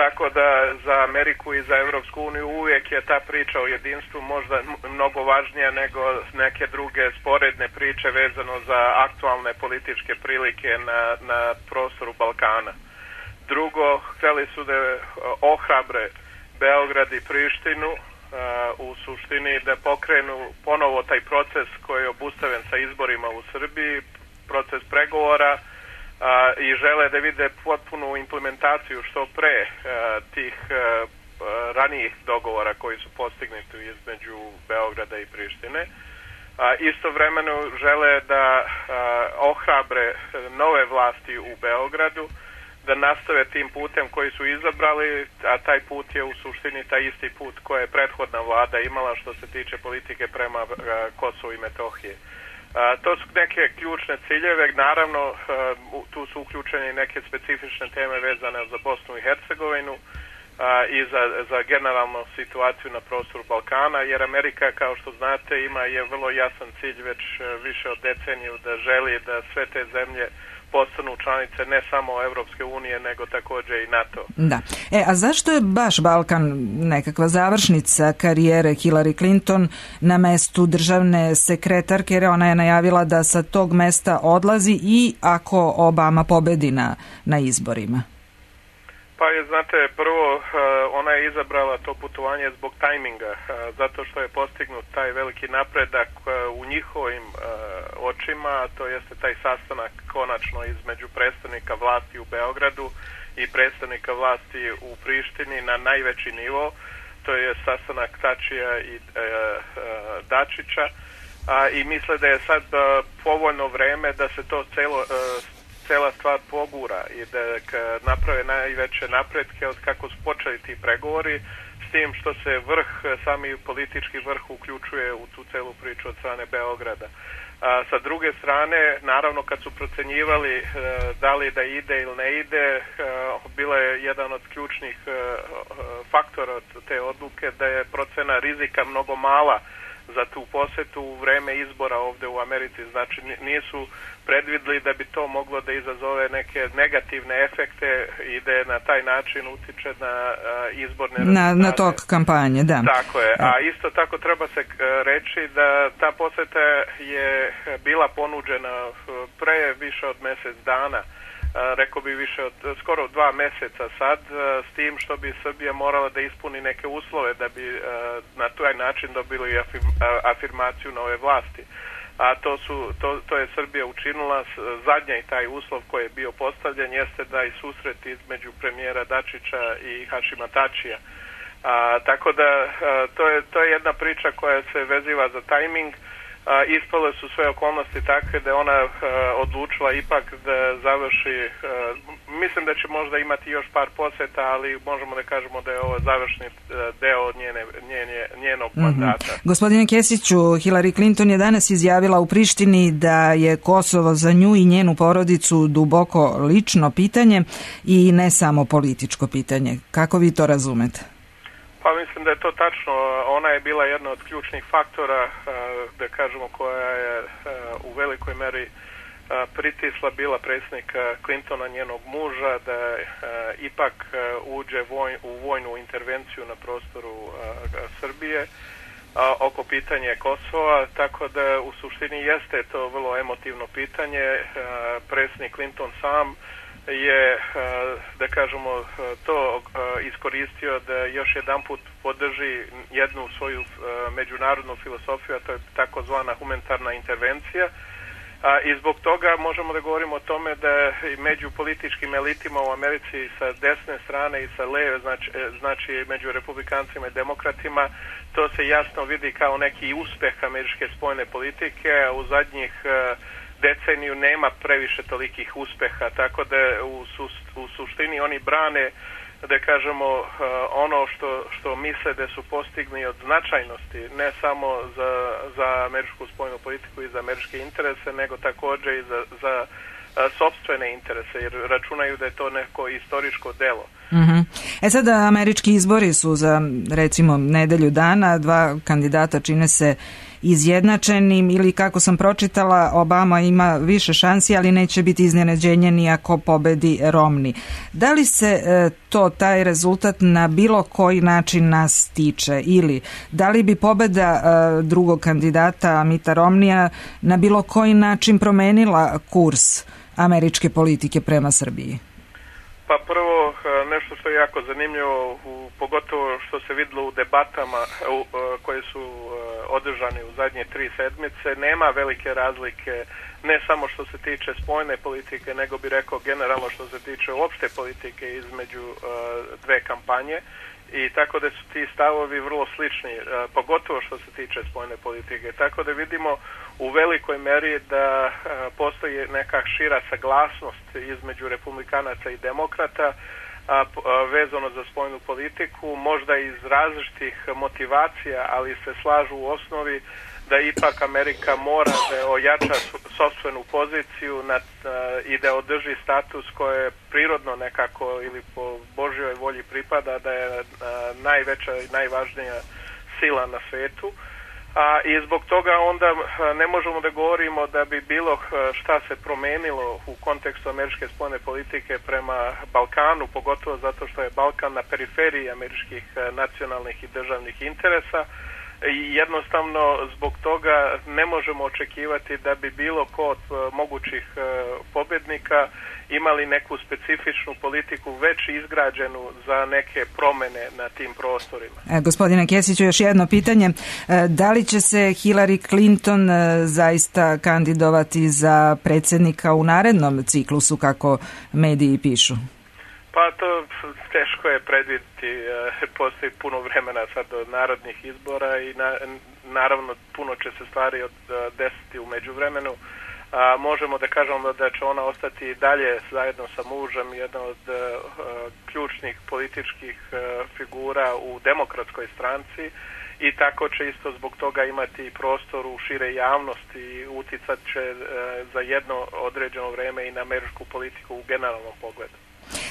Tako da za Ameriku i za Evropsku uniju uvijek je ta priča o jedinstvu možda mnogo važnija nego neke druge sporedne priče vezano za aktualne političke prilike na prostoru Balkana. Drugo, htjeli su da ohrabre Beograd i Prištinu u suštini da pokrenu ponovo taj proces koji je obustaven sa izborima u Srbiji, proces pregovora, i žele da vide potpunu implementaciju što pre tih ranijih dogovora koji su postignuti između Beograda i Prištine. Istovremeno žele da ohrabre nove vlasti u Beogradu, da nastave tim putem koji su izabrali, a taj put je u suštini taj isti put koje je prethodna vlada imala što se tiče politike prema Kosovu i Metohije. To su neke ključne ciljeve, naravno tu su uključene neke specifične teme vezane za Bosnu i Hercegovinu i za generalnu situaciju na prostoru Balkana, jer Amerika, kao što znate, je vrlo jasan cilj već više od deceniju da želi da sve te zemlje postanu članice ne samo Evropske unije, nego također i NATO. Da. A zašto je baš Balkan nekakva završnica karijere Hillary Clinton na mestu državne sekretarke, jer ona je najavila da sa tog mesta odlazi i ako Obama pobedi na izborima? Pa je, znate, prvo ona je izabrala to putovanje zbog tajminga, zato što je postignut taj veliki napredak u njihovim očima, to jeste taj sastanak konačno između predstavnika vlasti u Beogradu i predstavnika vlasti u Prištini na najveći nivo, to je sastanak Tačija i Dačića, i misle da je sad povoljno vreme da se to cela stvar pogura i da naprave najveće napretke od kako su počeli ti pregovori, s tim što se sami politički vrh uključuje u tu celu priču od strane Beograda. Sa druge strane, naravno kad su procenjivali da li da ide ili ne ide, bila je jedan od ključnih faktora te odluke da je procena rizika mnogo mala za tu posetu u vreme izbora ovde u Americi. Znači nisu predvidli da bi to moglo da izazove neke negativne efekte i da na taj način utiče na izborne rezultate. Na tok kampanje, da. Tako je. A isto tako treba se reći da ta poseta je bila ponuđena pre više od mesec dana, rekao bi više od skoro 2 meseca sad, s tim što bi Srbija morala da ispuni neke uslove da bi na taj način dobili afirmaciju nove vlasti. A to je Srbija učinila. Zadnji taj uslov koji je bio postavljen jeste da i susret između premijera Dačića i Hašima Tačija. Tako da to je jedna priča koja se veziva za tajming. Ispale su sve okolnosti takve da je ona odlučila ipak da završi, mislim da će možda imati još par poseta, ali možemo da kažemo da je ovo završni deo njenog mandata. Gospodine Kesiću, Hillary Clinton je danas izjavila u Prištini da je Kosovo za nju i njenu porodicu duboko lično pitanje i ne samo političko pitanje. Kako vi to razumete? Pa mislim da je to tačno. Ona je bila jedna od ključnih faktora, da kažemo, koja je u velikoj meri pritisla bila predsjednika Clintona, njenog muža, da ipak uđe u vojnu intervenciju na prostoru Srbije oko pitanja Kosova, tako da u suštini jeste to vrlo emotivno pitanje. Predsjednik Clinton sam je, da kažemo, to iskoristio da još jedan put podrži jednu svoju međunarodnu filosofiju, a to je takozvana humanitarna intervencija. I zbog toga možemo da govorimo o tome da među političkim elitima u Americi sa desne strane i sa leve, znači među republikancima i demokratima, to se jasno vidi kao neki uspeh američke spoljne politike. U zadnjih deceniju nema previše tolikih uspeha, tako da u suštini oni brane, da kažemo, ono što misle da su postigli od značajnosti, ne samo za američku spoljnu politiku i za američke interese, nego također i za sopstvene interese, jer računaju da je to neko istorijsko delo. Sada američki izbori su za, recimo, nedelju dana, 2 kandidata čine se izjednačenim, ili kako sam pročitala, Obama ima više šansi, ali neće biti iznenađenje ni ako pobedi Romney. Da li se taj rezultat na bilo koji način nas tiče, ili da li bi pobeda drugog kandidata Mitta Romneya na bilo koji način promenila kurs američke politike prema Srbiji? Pa prvo, nešto što je jako zanimljivo, pogotovo što se videlo u debatama koje su održane u zadnje 3 sedmice, nema velike razlike, ne samo što se tiče spoljne politike, nego bi rekao generalno što se tiče opšte politike između dve kampanje. I tako da su ti stavovi vrlo slični, pogotovo što se tiče spoljne politike. Tako da vidimo u velikoj meri da postoji neka šira saglasnost između republikanaca i demokrata vezano za spoljnu politiku, možda iz različitih motivacija, ali se slažu u osnovi da ipak Amerika mora da ojača sopstvenu poziciju i da održi status koje prirodno nekako ili po Božjoj volji pripada, da je najveća i najvažnija sila na svetu. I zbog toga onda ne možemo da govorimo da bi bilo šta se promenilo u kontekstu američke spoljne politike prema Balkanu, pogotovo zato što je Balkan na periferiji američkih nacionalnih i državnih interesa. I jednostavno zbog toga ne možemo očekivati da bi bilo ko od mogućih pobednika imali neku specifičnu politiku već izgrađenu za neke promene na tim prostorima. Gospodine Kesiću, još jedno pitanje. Da li će se Hillary Clinton zaista kandidovati za predsjednika u narednom ciklusu, kako mediji pišu? Pa to teško je predvidjeti, postoji puno vremena sad do narodnih izbora i naravno puno će se stvari desiti u međuvremenu. Možemo da kažemo da će ona ostati i dalje zajedno sa mužem jedna od ključnih političkih figura u demokratskoj stranci i tako će isto zbog toga imati prostor u šire javnosti i uticat će za jedno određeno vreme i na američku politiku u generalnom pogledu.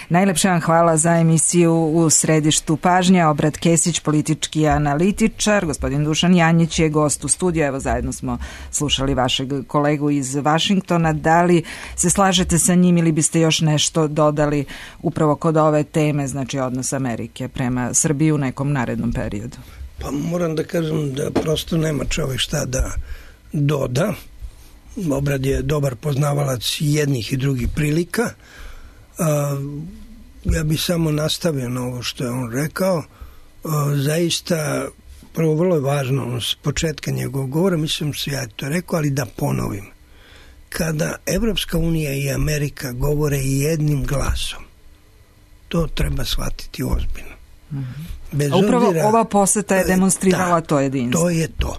Najlepše vam hvala za emisiju U središtu pažnje. Obrat Kesić, politički analitičar, gospodin Dušan Janjić je gost u studiju. Evo, zajedno smo slušali vašeg kolegu iz Vašingtona. Da li se slažete sa njim ili biste još nešto dodali upravo kod ove teme, znači odnos Amerike prema Srbiji u nekom narednom periodu? Pa moram da kažem da prosto nema čovjek šta da doda. Obrad je dobar poznavalac jednih i drugih prilika. Ja bih samo nastavio na ovo što je on rekao. Zaista, prvo vrlo je važno s početka njegovog govora, mislim se ja to rekao, ali da ponovim. Kada Evropska unija i Amerika govore jednim glasom, to treba shvatiti ozbiljno. Bez upravo obzira, ova poseta je demonstrirala to jedinstvo. To je to.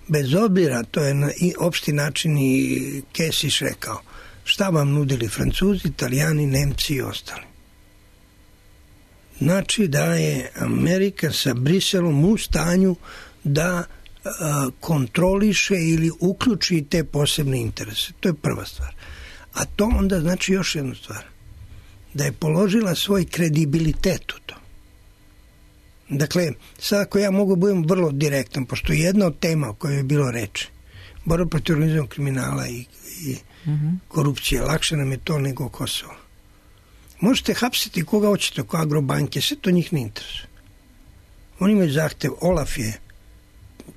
Bez obzira, to je na opšti način i Kesić rekao, šta vam nudili Francuzi, Italijani, Nemci i ostali. Znači da je Amerika sa Briselom u stanju da kontroliše ili uključi te posebne interese. To je prva stvar. A to onda znači još jednu stvar. Da je položila svoj kredibilitet u to. Dakle, sad ako ja mogu budem vrlo direktan, pošto jedna od tema o kojoj je bilo reči, borba protiv organizovanog kriminala i korupcije, lakše nam je to nego Kosovo. Možete hapsiti koga hoćete oko Agrobanke, sve to njih ne interesuje. Oni imaju zahtev, Olaf je,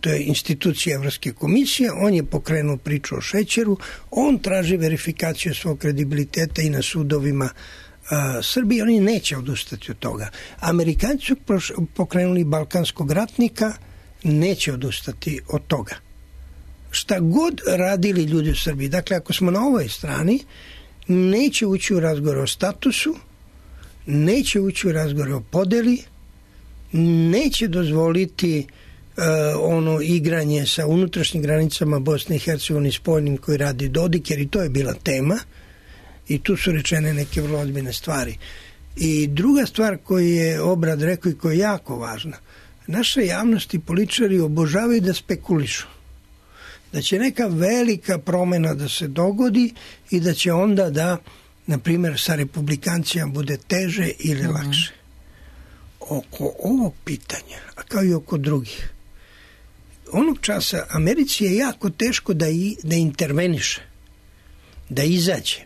to je institucija Evropske komisije, on je pokrenuo priču o šećeru, on traži verifikaciju svog kredibiliteta i na sudovima Srbije, oni neće odustati od toga. Amerikanci su pokrenuli balkanskog ratnika, neće odustati od toga. Šta god radili ljudi u Srbiji, dakle ako smo na ovoj strani, neće ući u razgovor o statusu, neće ući u razgovor o podeli, neće dozvoliti ono igranje sa unutrašnjim granicama Bosne i Hercegovine spoljnim koji radi Dodik, jer i to je bila tema i tu su rečene neke vrlo ozbiljne stvari. I druga stvar koju je Obrad rekao i koja je jako važna, naša javnost i političari obožavaju da spekulišu. Da će neka velika promjena da se dogodi i da će onda da, na primjer, sa republikancima bude teže ili lakše. Oko ovog pitanja, a kao i oko drugih, onog časa Americi je jako teško da interveniše, da izađe.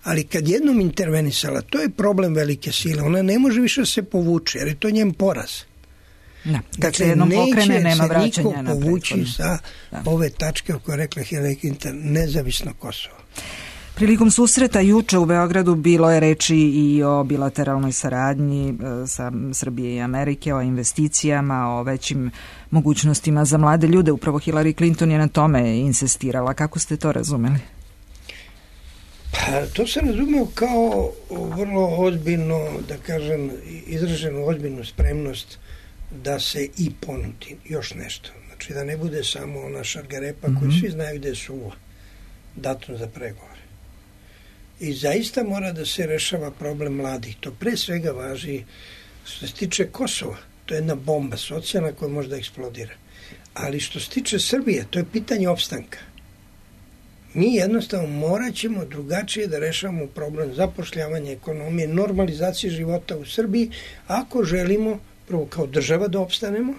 Ali kad jednom intervenisala, to je problem velike sile, ona ne može više se povući, jer je to njen poraz. Da, kad se jednom pokrene, nema vraćanja napred. Neće se niko povući sa ove tačke o kojoj rekla Hillary Clinton, nezavisno Kosovo. Prilikom susreta juče u Beogradu bilo je reči i o bilateralnoj saradnji sa Srbije i Amerike, o investicijama, o većim mogućnostima za mlade ljude. Upravo Hillary Clinton je na tome insistirala. Kako ste to razumeli? Pa to se razumeo kao vrlo ozbiljno, da kažem, izraženu ozbiljnu spremnost da se i ponudi još nešto. Znači da ne bude samo ona šargarepa koju svi znaju da je suva, datum za pregovore. I zaista mora da se rešava problem mladih. To pre svega važi što se tiče Kosova. To je jedna bomba socijalna koja može da eksplodira. Ali što se tiče Srbije, to je pitanje opstanka. Mi jednostavno morat ćemo drugačije da rešavamo problem zapošljavanja, ekonomije, normalizacije života u Srbiji, ako želimo prvo kao država da opstanemo.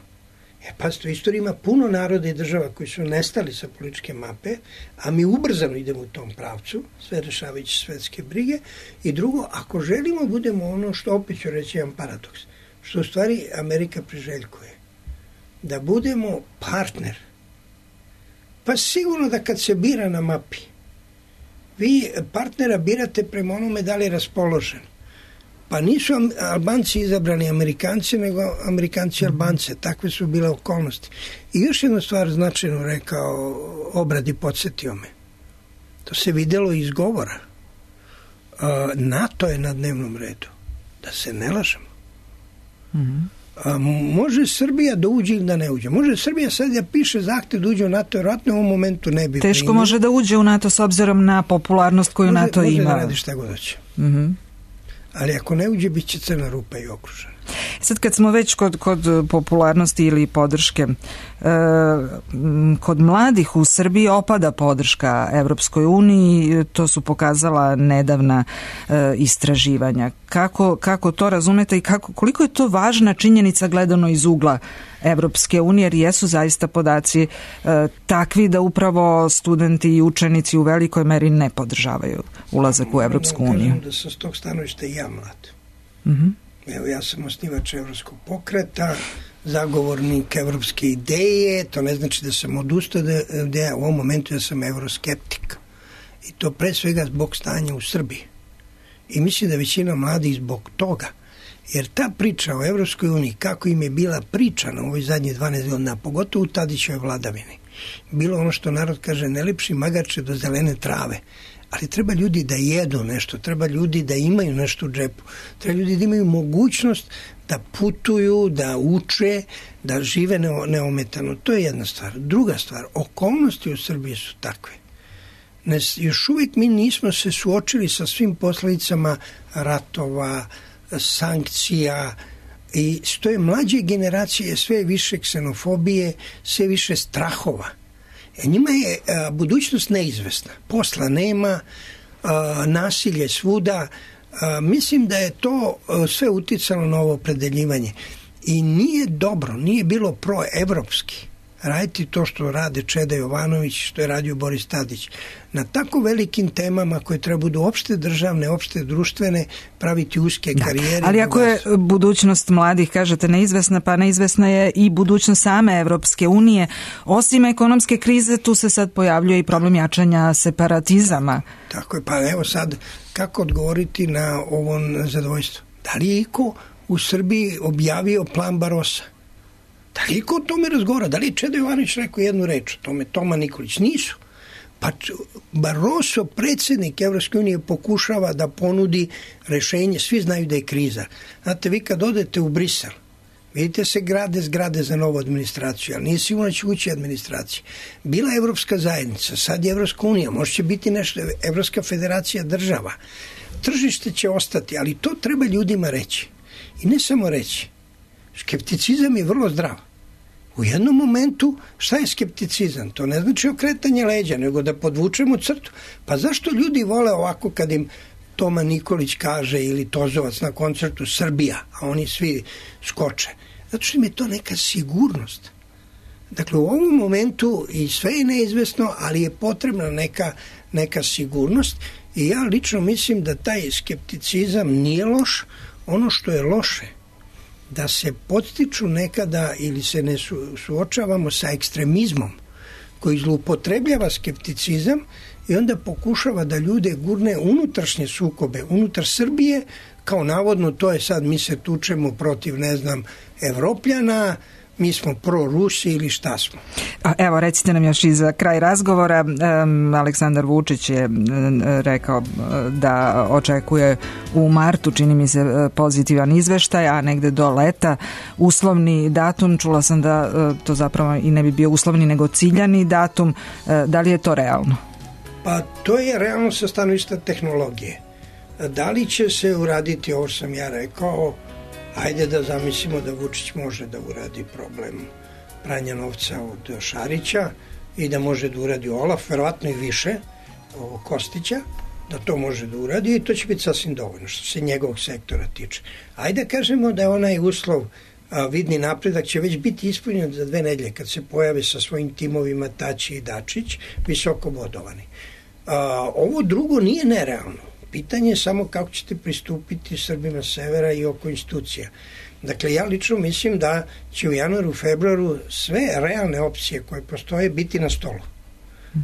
Pazite, u istoriji ima puno naroda i država koji su nestali sa političke mape, a mi ubrzano idemo u tom pravcu, sve rešavajući svetske brige. I drugo, ako želimo budemo ono što, opet ću reći jedan paradoks, što u stvari Amerika priželjkuje, da budemo partner. Pa sigurno da kad se bira na mapi, vi partnera birate prema onome da li je raspoložen. Pa nisu Albanci izabrani Amerikanci, nego Amerikanci Albance. Takve su bile okolnosti. I još jednu stvar značajno rekao Obrad i podsjetio me. To se videlo iz govora. NATO je na dnevnom redu. Da se ne lažemo. Može Srbija da uđe ili da ne uđe. Može Srbija sad da piše zahtev da uđe u NATO, vjerojatno u ovom momentu ne bi. Teško može da uđe u NATO s obzirom na popularnost koju NATO ima. Može da radi šta god hoće. Ali ako ne uđe, bit će crna rupa i okružena. Sad kad smo već kod popularnosti ili podrške, kod mladih u Srbiji opada podrška Evropskoj uniji, to su pokazala nedavna istraživanja. Kako to razumete i koliko je to važna činjenica gledano iz ugla Evropske unije, jer jesu zaista podaci takvi da upravo studenti i učenici u velikoj meri ne podržavaju ulazak u Evropsku uniju. Kažem da sam s tog stanovišta i ja mlad. Evo, ja sam osnivač Evropskog pokreta, zagovornik evropske ideje, to ne znači da sam odustao da ja u ovom momentu ja sam euroskeptik. I to pre svega zbog stanja u Srbiji. I mislim da većina mladih zbog toga. Jer ta priča o Evropskoj uniji, kako im je bila pričana u ovoj zadnje 12 godina, pogotovo u Tadićevoj vladavini, bilo ono što narod kaže, ne lepši magače do zelene trave. Ali treba ljudi da jedu nešto, treba ljudi da imaju nešto u džepu, treba ljudi da imaju mogućnost da putuju, da uče, da žive neometano. To je jedna stvar. Druga stvar, okolnosti u Srbiji su takve. Još uvijek mi nismo se suočili sa svim posledicama ratova, sankcija, i što je mlađe generacije sve više ksenofobije, sve više strahova. Njima je budućnost neizvesna. Posla nema, nasilje svuda. Mislim da je to sve uticalo na ovo opredeljivanje. I nije dobro, nije bilo proevropski raditi to što rade Čeda Jovanović, što je radio Boris Tadić. Na tako velikim temama koje treba budu opšte državne, opšte društvene, praviti uske karijere. Ali ako je budućnost mladih, kažete, neizvesna, pa neizvesna je i budućnost same Evropske unije. Osim ekonomske krize, tu se sad pojavljuje i problem jačanja separatizama. Tako je, pa evo sad, kako odgovoriti na ovo nezadovoljstvo? Da li je iko u Srbiji objavio plan Barossa? Da li iko o tome razgovara? Da li je Čeda Jovanović rekao jednu reč o tome? Toma Nikolić? Nisu. Pa Barroso, predsjednik Evropske unije, pokušava da ponudi rešenje. Svi znaju da je kriza. Znate, vi kad odete u Brisel, vidite se grade zgrade za novu administraciju, ali nije sigurno će ući administracija. Bila je Evropska zajednica, sad je Evropska unija, možda će biti nešto, Evropska federacija država. Tržište će ostati, ali to treba ljudima reći. I ne samo reći. Skepticizam je vrlo zdrav. U jednom momentu, šta je skepticizam? To ne znači okretanje leđa, nego da podvučemo crtu. Pa zašto ljudi vole ovako kad im Toma Nikolić kaže ili Tozovac na koncertu Srbija, a oni svi skoče? Zato što im je to neka sigurnost. Dakle, u ovom momentu i sve je neizvesno, ali je potrebna neka sigurnost i ja lično mislim da taj skepticizam nije loš. Ono što je loše, da se podstiču nekada ili se ne suočavamo sa ekstremizmom koji zloupotrebljava skepticizam i onda pokušava da ljude gurne unutrašnje sukobe, unutar Srbije, kao navodno to je sad mi se tučemo protiv, ne znam, Evropljana, mi smo pro-Rusi ili šta smo. Evo, recite nam još i za kraj razgovora. Aleksandar Vučić je rekao da očekuje u martu, čini mi se, pozitivan izveštaj, a negde do leta uslovni datum. Čula sam da to zapravo i ne bi bio uslovni nego ciljani datum. Da li je to realno? Pa to je realno sa stanovišta tehnologije. Da li će se uraditi, ovo sam ja rekao, ajde da zamislimo da Vučić može da uradi problem pranja novca od Šarića i da može da uradi Olaf, verovatno i više, Kostića, da to može da uradi i to će biti sasvim dovoljno što se njegovog sektora tiče. Ajde da kažemo da je onaj uslov vidni napredak će već biti ispunjen za 2 nedelje kad se pojave sa svojim timovima Tači i Dačić, visoko bodovani. Ovo drugo nije nerealno. Pitanje je samo kako ćete pristupiti Srbima severa i oko institucija. Dakle, ja lično mislim da će u januaru, februaru sve realne opcije koje postoje biti na stolu.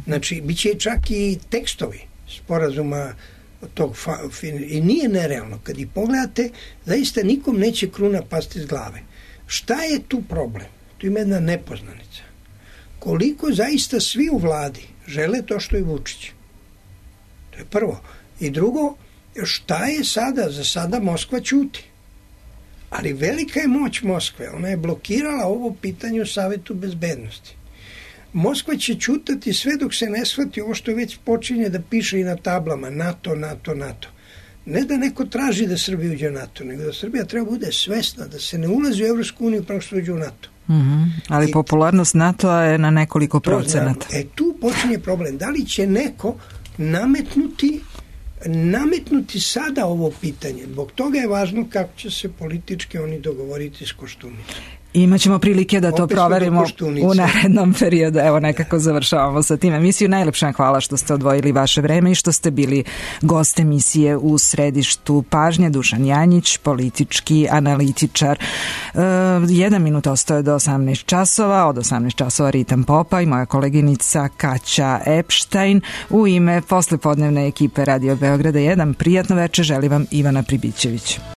Znači, bit će čak i tekstovi sporazuma tog i nije nerealno. Kad ih pogledate, zaista nikom neće kruna pasti iz glave. Šta je tu problem? Tu ima jedna nepoznanica. Koliko zaista svi u vladi žele to što je Vučić? To je prvo. I drugo, šta je sada? Za sada Moskva ćuti. Ali velika je moć Moskve. Ona je blokirala ovo pitanje u Savetu bezbednosti. Moskva će ćutati sve dok se ne shvati ovo što već počinje da piše i na tablama. NATO, NATO, NATO. Ne da neko traži da Srbija uđe u NATO, nego da Srbija treba bude svesna da se ne ulazi u Evropsku uniju prema što uđe u NATO. Ali popularnost NATO-a je na nekoliko procenata. Tu počinje problem. Da li će neko nametnuti sada ovo pitanje. Zbog toga je važno kako će se politički oni dogovoriti s Koštunicom. Imaćemo prilike da to proverimo u narednom periodu. Evo, nekako završavamo sa tim emisiju. Najlepša hvala što ste odvojili vaše vreme i što ste bili gost emisije U središtu pažnje. Dušan Janjić, politički analitičar. 1 minut ostaje do 18 časova. Od 18 časova Ritam Popa i moja koleginica Kaća Epštajn. U ime poslepodnevne ekipe Radio Beograda 1 prijatno večer želi vam Ivana Pribićević.